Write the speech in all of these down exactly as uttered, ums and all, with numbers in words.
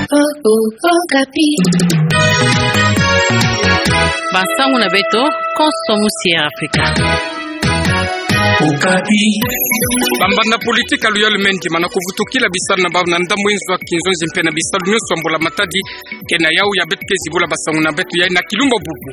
O, o, Okapi. Bansangu na beto, konso musi ya Afrika. Okapi. Bambanda politiki ya luyalu me ndima na kuvutukila bisalu na bau na ndambu inzo ya kinzonzi mpe na bisalu nyonso ya mbula matadi, ke na yau ya beto ke zibula bansangu na beto yai na kilumbu bubu.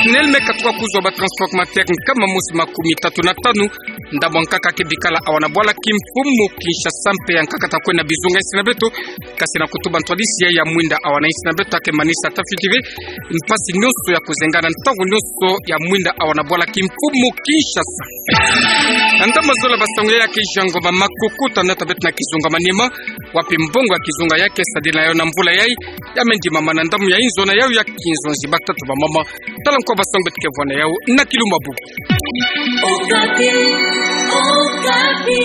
SNEL me katuka kuzwa ba transformateur nkama mosi makumi tatu na tanu, ndambu ya nkaka ke bikala awa na bwala kimfumu Kinshasa mpe ya nkaka ta kwenda bizunga insi na beto, kasi na kutuba ntwadisi ya mwinda awa na insi na beto ta ke manisa ta fiti ve mpasi nyonso ya kuzenga na ntangu nyonso ya mwinda awa na bwala kimfumu Kinshasa. Na ndambu ya zola bansangu ya ke jango ba makuku ta nata beto na kizunga Maniema, wapi mbongo ya kizunga ya ke sadila yo na mvula yai, ya me ndimama na ndambu ya inzo na yau ya kinzonzi. Batatu bamama, tala nkwa bansangu beto ke vwa na yau na kilumbu bubu. Okapi, Okapi.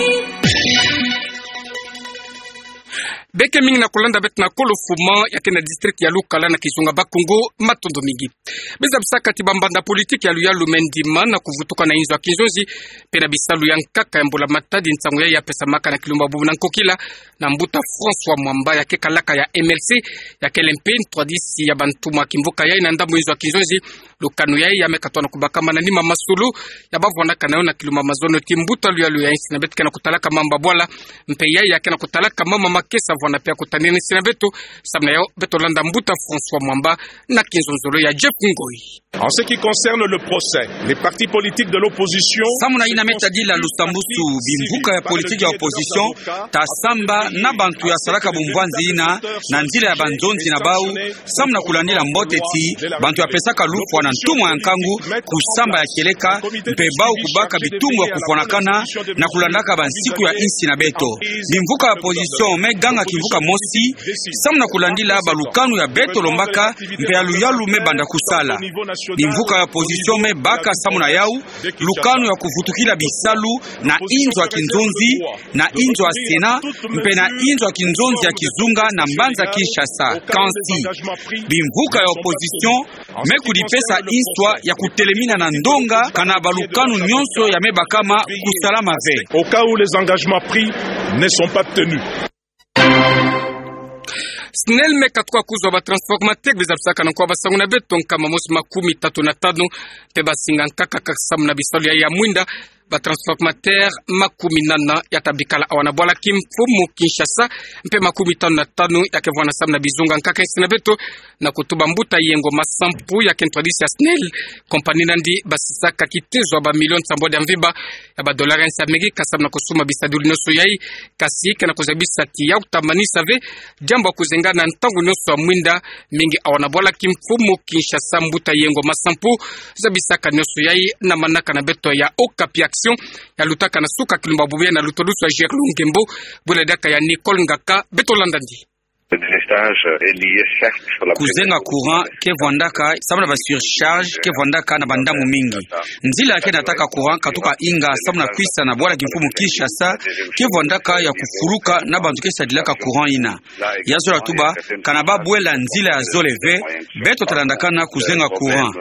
Beke mingi na kulanda beto na kolo fuma ya ke na district ya Lukala na kizunga Bakongo, matondo mingi. Biza bisaka ti bambanda politiki ya luyalu me ndima na kuvutuka na inzo ya kinzonzi, mpe na bisalu ya nkaka ya mbula matadi, nsangu yai ya pesamaka na kilumbu bubu na nkokila na mbuta François Mwamba ya ke kalaka ya M L C, ya kele mpe ntwadisi ya bantumwa kimvuka yai na ndambu inzo ya kinzonzi, lukanu yai ya me katuka na kubakama na nima masolo ya bavwandaka na yo na kilumbu mazono ti mbuta luyalu ya insi na beto ke na kutalaka mambu ya bwala, mpe yai ya ke na kutalaka mama makesa vwanda mpe ya kutanina insi na beto, samu na yau beto landa mbuta François Mwamba na kinzonzolo ya Jeff Ngoi. En ce qui concerne le procès, les partis politiques de l'opposition... Samu na yina me tadila lusambusu, bimvuka ya politiki ya opposition ta samba na bantu ya salaka bumvwanzi yina na nzila ya banzonzi na bau, samu na kulandila mbote ti bantu ya pesaka lufwa na ntumwa ya nkangu kusamba ya kieleka, mpe bau kubaka bitumbu ya kuvwanakana na kulandaka bansiku ya insi na beto. Bimvuka ya opposition me ganga kimvuka mosi, samu na kulandila balukanu ya beto lombaka, mpe ya luyalu me banda kusala. Bimvuka ya opposition me baka samu na yau lukanu ya kuvutukila bisalu na inzo ya kinzonzi, na inzo ya Sénat, mpe na inzo ya kinzonzi ya kizunga na mbanza Kinshasa. Kansi bimvuka ya opposition me kudipesa inswa ya kutelemina na ndonga kana balukanu nyonso ya me bakama kusalama ve. Au cas où les engagements pris ne sont pas tenus. SNEL me katuka kuzwa ba transformateur, biza bisaka na nkwa bansangu na beto, nkama mosi makumi tatu na tanu, mpe basinga nkaka kaka samu na bisalu yai ya mwinda, ba transformateur makumi nana ya ta bikala awa na bwala kimfumu Kinshasa, mpe makumi tanu na tanu ya ke vwanda samu na bizunga nkaka insi na beto, na kutuba mbuta Yengo Masampu ya ke ntwadisi ya SNEL. Compagnie na yandi basisaka kitezo ya ba million nsambwadi ya mvimba ya ba dollar ya insi ya Amerika samu na kusuma bisadulu nyonso yai, kasi ke na kuzabisa ti yau ta manisa ve diambu ya kuzenga na ntangu nyonso ya mwinda, mingi awa na bwala kimfumu Kinshasa. Mbuta Yengo Masampu zabisaka nyonso yai na manaka na beto ya Okapi Action ya lutaka na suka kilumbu bubu yai na lutulusu ya Gerlou Ngembo, bwela diaka ya Nicole Ngaka. Beto landa yandi. Le délestage est lié, certes, sur la... Kuzenga courant ke vwandaka samu na ba surcharge, ke vwandaka na bandambu mingi. Nzila ya ke nataka courant katuka inga samu na kwisa na bwala kimfumu Kinshasa ke vwandaka ya kufuluka na bantu ke sadilaka courant yina. Ya zola tuba, kana babwela nzila ya zole ve, beto ta landakana kuzenga courant.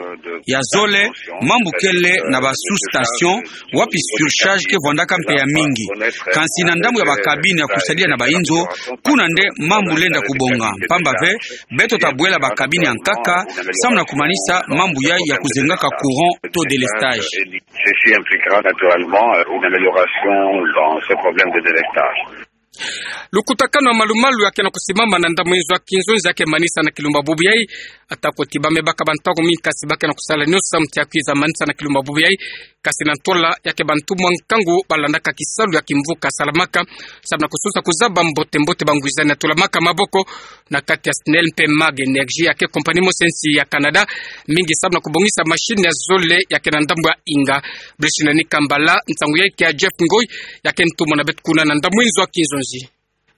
Ya zole, mambu kele na ba sous-station, wapi surcharge ke vwandaka mpe ya mingi. Kansi na ndambu ya ba cabine ya kusadila na ba inzo, kuna nde mambu lenda kubonga. Mpamba ve, beto ta bwela ba cabine ya nkaka samu na kumanisa mambu yai ya kuzengaka courant to délestage. Ceci impliquera naturellement, euh, une amélioration dans ce problème de délestage. Lukutakanu ya malumalu ya ke na kusimama na ndambu inzo ya kinzonzi ya ke manisa na kilumbu bubu yai. Atako ti ba me baka bantangu mingi, kasi ba ke na kusala nyonso samu ti ya kwiza manisa na kilumbu bubu yai. Kasi na ntola ya ke bantumwa nkangu balandaka kisalu ya kimvuka salamaka samu na kusosa kuzaba mbote-mbote bangwizani ya tulamaka maboko na kati ya SNEL mpe Mag Energy ya ke compagnie mosi ya insi ya Canada, mingi samu na kubongisa machine ya zole ya ke na ndambu ya inga. Brice Nani Kambala, nsangu yai ke ya Jeff Ngoi, ya ke ntumwa na beto kuna na ndambu inzo ya kinzonzi.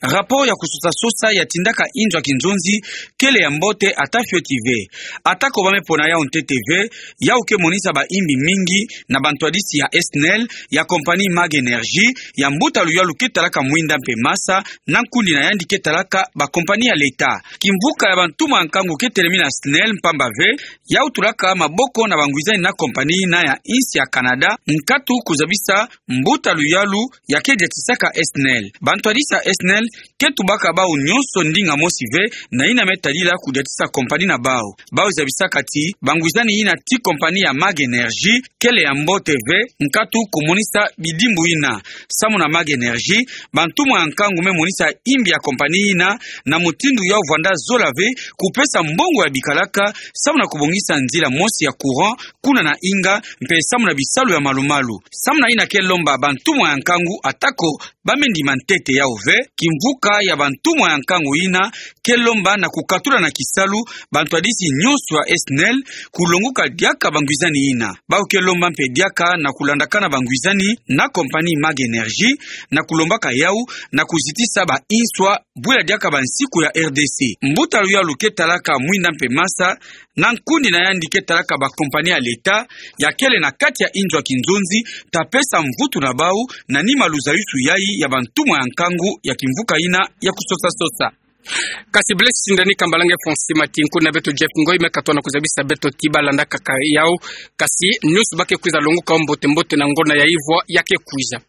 Rapport ya kusosa-sosa ya tindaka inzo ya kinzonzi kele ya mbote ata fioti ve. Atako ba me pona yau ntete ve, yau ke monisa ba imbi mingi na bantwadisi ya SNEL, ya compagnie Mag Energy, ya mbuta luyalu ke talaka mwinda mpe masa, na nkundi na yandi ke talaka ba compagnie ya l'État. Kimvuka ya bantumwa nkangu ke telemina SNEL mpamba ve, yau tulaka maboko na bangwizani na compagnie na ya insi ya Canada, nkatu kuzabisa mbuta luyalu ya ke diatisaka SNEL. Bantwadisi ya SNEL Ke tubaka bau nyonso ndinga mosi ve na yina me tadila kudiatisa compagnie na bau. Bau zabisaka ti bangwizani yina ti compagnie ya Mag Energy kele ya mbote ve, nkatu kumonisa bidimbu yina. Samu na Mag Energy, bantumwa ya nkangu me monisa imbi ya compagnie yina na mutindu yau vwanda zola ve kupesa mbongo ya bikalaka, samu na kubongisa nzila mosi ya courant kuna na Inga, mpe samu na bisalu ya malu-malu. Samu na yina ke lomba bantumwa ya nkangu, atako ba me ndima ntete yau ve, kimvuka ya bantumwa ya nkangu yina ke lomba na kukatula na kisalu bantwadisi nyonso ya SNEL kulonguka diaka bangwizani yina. Bau ke lomba mpe diaka na kulandakana bangwizani na compagnie Mag Energy, na kulombaka yau na kuzitisa ba inswa bwela diaka bansiku ya RDC. Mbuta luyalu ke talaka mwinda mpe masa, na nkundi na yandi ke talaka ba compagnie ya l'État ya kele na kati ya inzo ya kinzonzi, ta pesa mvutu na bau na nima luzayusu yai ya bantumwa ya nkangu ya kimvuka yina ya kusosa-sosa. Kasi Blaise Sindani Kambalange Fonsi Matinku na beto Jeff Ngoi me katona kuzabisa beto ti ba landakaka yau, kasi nyonso ba ke kwiza longuka mbote-mbote na ngona ya ivwa ya ke kwiza.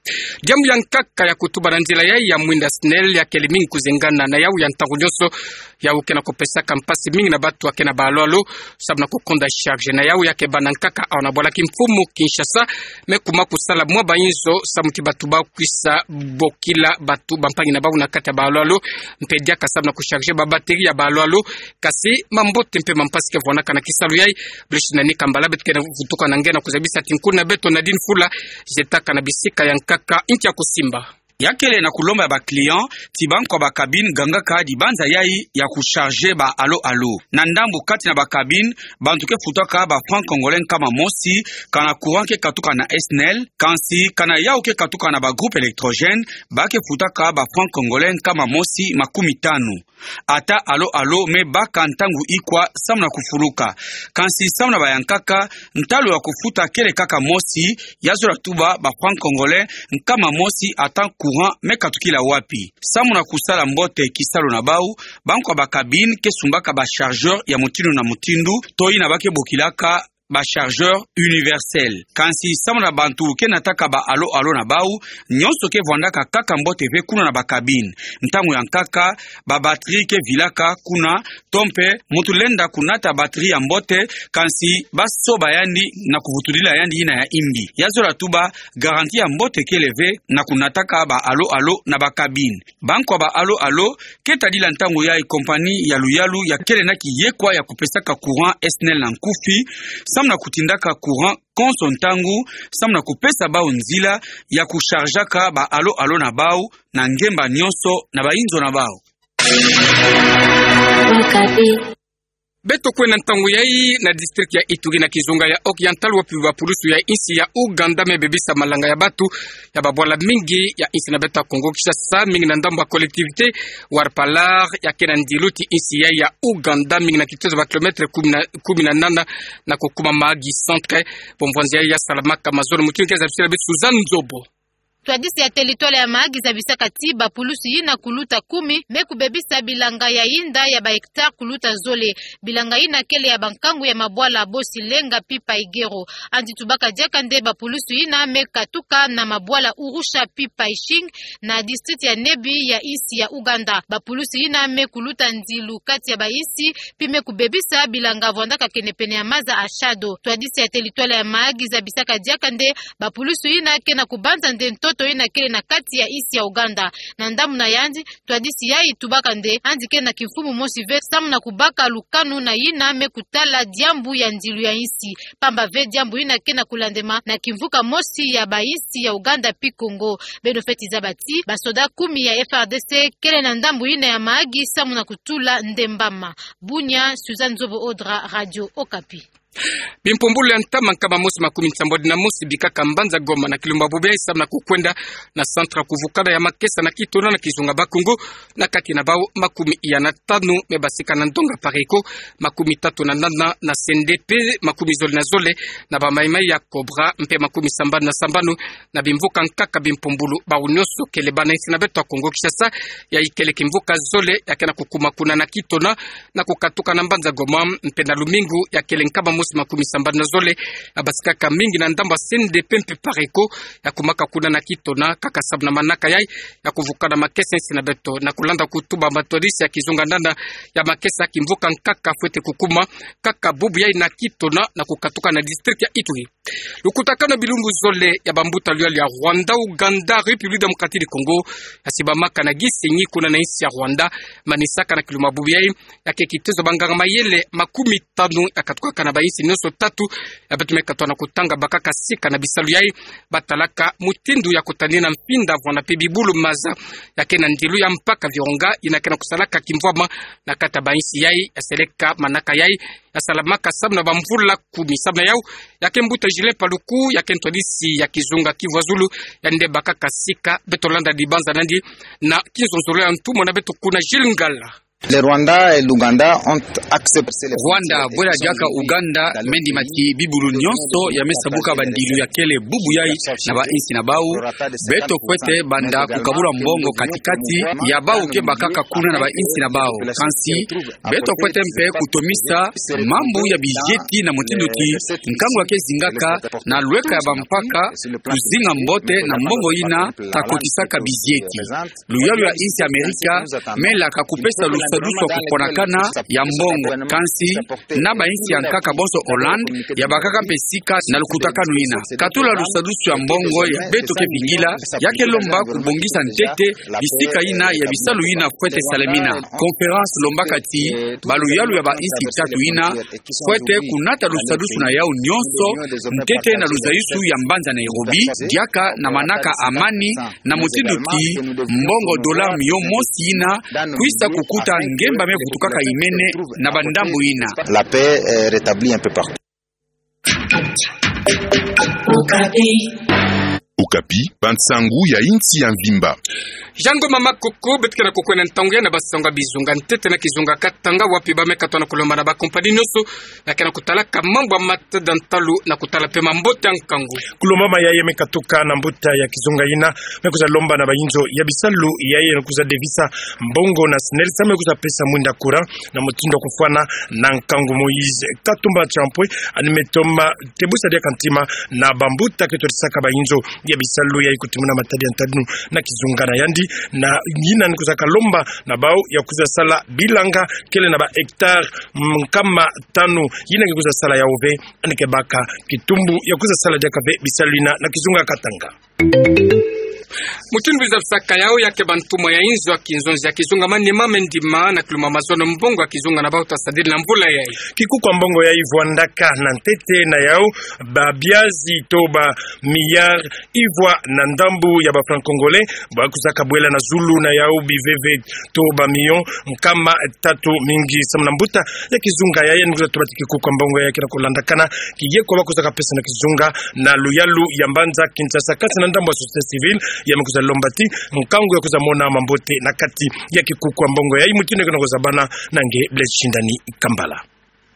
Diambu ya nkaka ya kutuba na nzila yai ya mwinda SNEL ya kele mingi kuzengana na yau ya ntangu nyonso. Yau ke na kupesaka mpasi mingi na batu ya ke na ba alo-alo, samu na kukonda charge na yau ya ke bana nkaka awa na bwala kimfumu Kinshasa, me kuma kusala mwa ba inzo samu ti batu ba kwisa bokila batu bampangi na bau na kati ya ba alo-alo, mpe diaka samu na kucharge ba batterie ya ba alo-alo. Kasi mambote mpe mampasi ke vwanaka na kisalu yai. Blaise Sindani Kambala beto ke na vutuka na nge na kuzabisa ti nkundi na beto Nadine Fula, zetaka na bisika ya nkaka inki ya kusimba. Ya kele na kulomba ya ba client ti bankwa ba cabine gangaka dibanza yai ya kucharge ba alo-alo. Na ndambu kati na ba cabine, bantu ke futaka ba francs congolais nkama mosi, kana courant ke katuka na SNEL, kansi kana yau ke katuka na ba groupe électrogène, ba ke futaka ba francs congolais nkama mosi makumi tanu. Ata alo-alo me baka ntangu ikwa samu na kufuluka. Kansi samu na ba ya nkaka, ntalu ya kufuta kele kaka mosi, ya zola tuba ba francs congolais nkama mosi ata courant me katukila wapi. Samu na kusala mbote kisalu na bau, bankwa ba cabine ke sumbaka ba chargeur ya mutindu na mutindu, to yina ba ke bokilaka ba chargeur universel. Kansi samu na bantu ke nataka ba alo-alo na bau, nyonso ke vwandaka kaka mbote ve kuna na ba cabine. Ntangu ya nkaka, ba batterie ke vilaka kuna, to mpe muntu lenda kunata batterie ya mbote, kansi ba soba yandi na kuvutudila yandi yina ya imbi. Ya zola tuba, garantie ya mbote kele ve na kunataka ba alo-alo na ba cabine. Bankwa ba alo-alo ke tadila ntangu yai compagnie ya luyalu ya kele na kiyekwa ya kupesaka courant SNEL na nkufi, samu na kutindaka courant konso ntangu, samu na kupesa bau nzila ya kuchargeaka ba alo-alo na bau na ngemba nyonso na ba inzo na bau. Beto kwenda ntangu yai na district ya Ituri na kizunga ya Oriental, wapi ba pulusu ya insi ya Ouganda me bebisa malanga ya batu ya babwala mingi ya insi na beto ya Kongo Kinshasa, mingi na ndambu ya collectivité Wampara, ya ke na ndilu ti insi yai ya Ouganda, mingi na kitozo ba kilomètre kumi na, kumi na nana na kukuma Mahagi centre. Bomvwanzi yai ya salamaka mazono, mutindu ke zabisila beto Suzanne Nzobo. Ntwadisi ya territoire ya Mahagi zabisaka ti ba pulusu yina kuluta kumi me kubebisa bilanga ya yinda ya ba hectare kuluta zole. Bilanga yina kele ya bankangu ya mabwala Bosi Lenga pi Paigero. Andi tubaka diaka nde ba pulusu yina me katuka na mabwala Urusha pi Paishing, na district ya Nebi ya insi ya Ouganda. Ba pulusu yina me kuluta ndilu kati ya ba insi, pi me kubebisa bilanga vwandaka kenepene ya maza Ashado. Ntwadisi ya territoire ya Mahagi zabisaka diaka nde ba pulusu yina ke na kubanza nde ntoto yina kele na kati ya insi ya Ouganda. Na ndambu na yandi, ntwadisi yai tubaka nde andi ke na kimfumu mosi ve samu na kubaka lukanu na yina me kutala diambu ya ndilu ya insi. Pamba ve diambu yina ke na kulandema na kimvuka mosi ya ba insi ya Ouganda pi Kongo. Beno fweti zaba ti ba soda kumi ya F R D C kele na ndambu yina ya Mahagi samu na kutula ndembama. Bunia, Suzanne Nzobo Odra, Radio Okapi. Bimpumbulu ya ntama nkama mosi makumi nsambwadi na mosi bikaka mbanza Goma na kilumba bobe samu na kukwenda na centre ya kuvukana ya makesa na Kitona na kizunga Bakongo, na kati na bau makumi ya na tanu me basika na ndonga Pareco, makumi tatu na nana na C N D P, makumi zole na zole na ba Maï-Maï ya Cobra, mpe makumi sambanu na sambanu na bimvuka nkaka bimpumbulu. Bau nyonso kele bana insi na beto ya Kongo Kinshasa. Yai kele kimvuka zole ya ke na kukuma kuna na Kitona na kukatuka na mbanza Goma, mpe na lumingu ya kele nkama mosi makumi sambanu na zole, ya basikaka mingi na ndambu ya C N D P mpe PARECO, ya kumaka kuna na Kitona, kaka samu na manaka yayi, ya kuvuka na makesa ya insi na beto, na kulanda kutuba matwadisi ya kizunga ndanda ya makesa kimvuka nkaka fwete kukuma, kaka bubu yayi na Kitona, na kukatuka na district ya Ituri. Lukutakanu ya bilumbu zole ya bambuta luyalu ya Rwanda, Ouganda, République Démocratique du Congo, ya sibamaka na Gisenyi kuna na insi ya Rwanda, manisaka na kilumbu bubu yayi, ya ke kitezo banganga mayele makumi tanu ya katukaka na bainsi nyonso tatu, ya beto me katoa na kutanga bakaka sika na bisalu yayi, batalaka mutindu ya kutanina mfinda vwanda mpe bibulu maza, ya ke na ndilu ya mpaka Virunga, yina ke na kusalaka kimvwama na kati ya bainsi yayi, ya seleka manaka yayi, ya salamaka samu na bamvula kumi. Samu na yawu, ya ke mbuta Julien Paluku, ya ke ntwadisi ya kizunga Kivu ya Zulu, yandi bakaka sika, beto landa dibanza na yandi na kinzonzolo ya ntumwa na beto kuna Gilles Ngala. Le Rwanda et l'Ouganda ont accepté les Rwanda, bwela diaka Ouganda, me ndima ti bibulu nyonso ya me sabuka bandilu ya kele bubu yayi na bainsi na bawu, beto fwete banda kukabula mbongo katikati ya bawu ke bakaka kuna na bainsi na bawu. Kansi, beto fwete mpe kutomisa mambu ya bizieti na mutindu ti nkangu ya ke zingaka na lweka ya bampaka kuzinga mbote na mbongo yina ta kotisaka bizieti. Luyalu ya insi Amerika me laka kupesa lusadusu ya kuponakana ya mbongo. Kansi, na bainsi ya nkaka bonso Hollande, ya bakaka mpe sika na lukutakanu yina. Katula lusadusu ya mbongo ya beto ke vingila, ya ke lomba kubongisa ntete bisika yina ya bisalu yina fwete salamina. Conférence lombaka ti baluyalu ya bainsi tatu yina fwete kunata lusadusu na yawu nyonso ntete na luzayisu ya mbanza Nairobi, diaka na manaka amani, na mutindu ti mbongo dollar miyo mosi yina kwisa kukuta ngemba me vutukaka imene na bandambu yina. La paix est rétablie un peu partout. Okapi, bansangu ya insi ya mvimba. Jean Ngoma Makoko, beto ke na kukwenda ntangu ya na basangu ya bizunga ntete na kizunga Katanga, wapi ba me katoa na kulomba na bakompani nyonso ya ke na kutalaka mambu ya matada ntalu na kutala mpe mambote ya nkangu. Kulombama yayi me katuka na mbuta ya kizunga yina me kwiza lomba na bayinzo ya bisalu yayi na kwiza devisa mbongo na SNEL, samu me kwiza pesa mwinda courant na mutindu ya kufwana na nkangu. Moïse Katumba Champoué, yandi me toma tebusa diaka ntima na bambuta ke twadisaka bayinzo ya bisalu yayi kutimuna matadi ya ntadinu na kizunga na yandi, na yina ni kwiza kalomba na bawu ya kwiza sala bilanga kele na ba hectares, mm, nkama tanu, yina ke kwiza sala yawu ve, yandi ke baka kitumbu ya kwiza sala diaka ve bisalu yina na kizunga Katanga. Mutindu bizabisaka yawu, ya ke bantumwa ya inzo ya kinzonzi ya kizunga Maniema me ndima na kilumbu mazono mbongo ya kizunga na bawu ta sadila na mvula yayi. Kikuku ya mbongo yayi vwandaka na ntete na yawu ba biazi to ba milliards ivwa na ndambu ya ba francs congolais, ba kwiza kabwela na zulu na yawu biveve to ba millions nkama tatu mingi. Samu na mbuta ya kizunga yayi, yandi kwiza tuba ti kikuku ya mbongo yayi ke na kulandakana kiyeko ba kwiza kapesa na kizunga na luyalu ya mbanza Kinshasa, kansi na ndambu ya société civile, ya me kwiza lomba ti nkangu ya kwiza mona mambote na kati ya kikuku ya mbongo yayi. Mutindu ke na kuzabana na nge Blaise Shindani Kambala.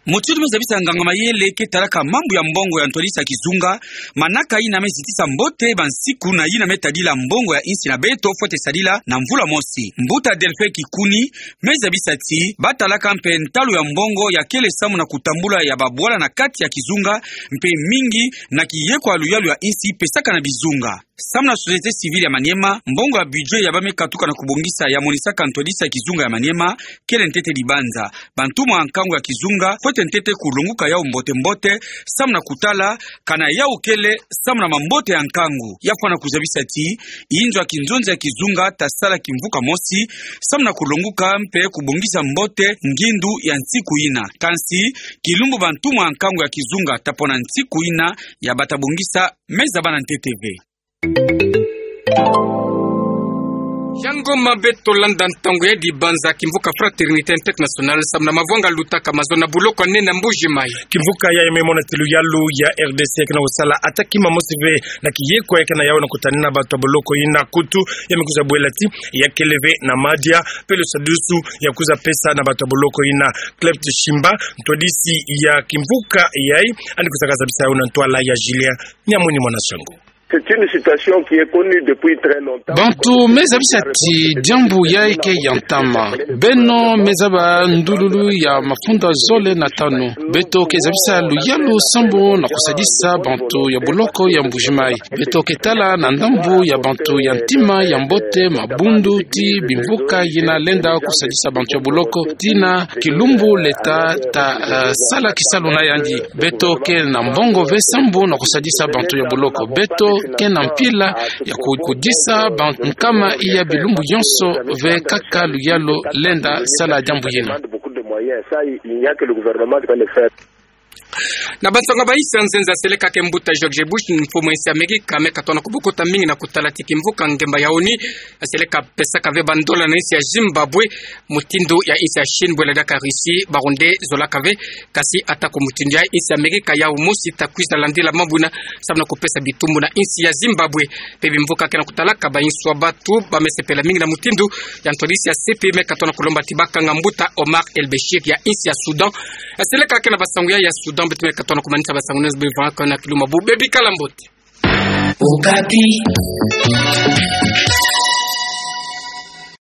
Mutindu me zabisa nganga mayele ke talaka mambu ya mbongo ya ntwadisi ya kizunga, manaka yina me zitisa mbote bansiku na yina me tadila mbongo ya insi na beto fwete sadila na mvula mosi. Mbuta Delphin Kikuni me zabisa ti ba talaka mpe ntalu ya mbongo ya kele samu na kutambula ya babwala na kati ya kizunga, mpe mingi na kiyeko ya luyalu ya insi pesaka na bizunga. Samu na société civile ya Maniema, mbongo ya budget ya ba me katuka na kubongisa ya monisaka ntwadisi ya kizunga ya Maniema kele ntete dibanza. Bantumwa ya nkangu ya kizunga fwete ntete kulonguka yawu mbote mbote, samu na kutala kana yawu kele samu na mambote ya nkangu. Ya fwana kuzabisa ti inzo ya kinzonzi ya kizunga ta sala kimvuka mosi, samu na kulonguka mpe kubongisa mbote ngindu ya nsiku yina. Kansi, kilumbu bantumwa ya nkangu ya kizunga ta pona nsiku yina ya ba ta bongisa, me zabana ntete ve. Yango mabe, tolanda ntangu ya dibanza kimvuka Fraternité Internationale samu na mavwanga lutaka mazono na buloko ya nene ya Mbuji Mayi. Kimvuka yayi me mona ti luyalu ya R D C ya ke na kusala ata kima mosi ve na kiyeko ya ke na yawu na kutanina bato ya boloko yina, kutu ya me kwiza bwela ti ya kele ve na madia mpe lusadusu ya kwiza pesa na bato ya boloko yina. Cleft Shimba, ntwadisi ya kimvuka yayi, yandi kwiza kazabisa yawu na ntwala ya Julien Nyamwini mwana Sango. C'est une situation qui est connue depuis très longtemps. Bantu me zabisa ti diambu yayi ke ya ntama. Beno me zaba ndululu ya mafunda zole na tanu. Beto ke zabisa luyalu sambu na kusadisa bantu ya boloko ya Mbujimayi. Beto ke tala na ndambu ya bantu ya ntima ya mbote, mabundu ti bimvuka yina lenda kusadisa bantu ya boloko, tina kilumbu leta ta, eh, sala kisalu na yandi. Beto ke na mbongo ve sambu na kusadisa bantu ya boloko. Beto ke na mpila ya ku-, kudisa ba nkama iya bilumbu yonso ve kaka luyalu lenda sala diambu yina. Na bansonga ba insi ya nzenza, seleka ke mbuta George Bush, mfumu ya insi ya Amerika, me katona kubukuta mingi na kutala ti kimvuka ngemba ya ONU, seleka pesaka ve bandola na insi ya Zimbabwe, mutindu ya insi ya Chine, bwe ladaka Russie, ba Rwandais zolaka ve, kasi atako mutindu ya insi ya Amerika yau mosi ta kwiza landila mambu yina, samu na kupesa bitumbu na insi ya Zimbabwe. Pe bimvuka ke na kutalaka ba insi wa batu ba me sepela mingi na mutindu ya ntwadisi ya C P I me katona kulomba ti bakanga mbuta Omar el-Bashir ya insi ya Soudan. Seleka ke na basangu ya, ya Soudan, beto me katona kumanisa basangu na nzo bevanga na kiluma bu bebi kala mbote. Okapi.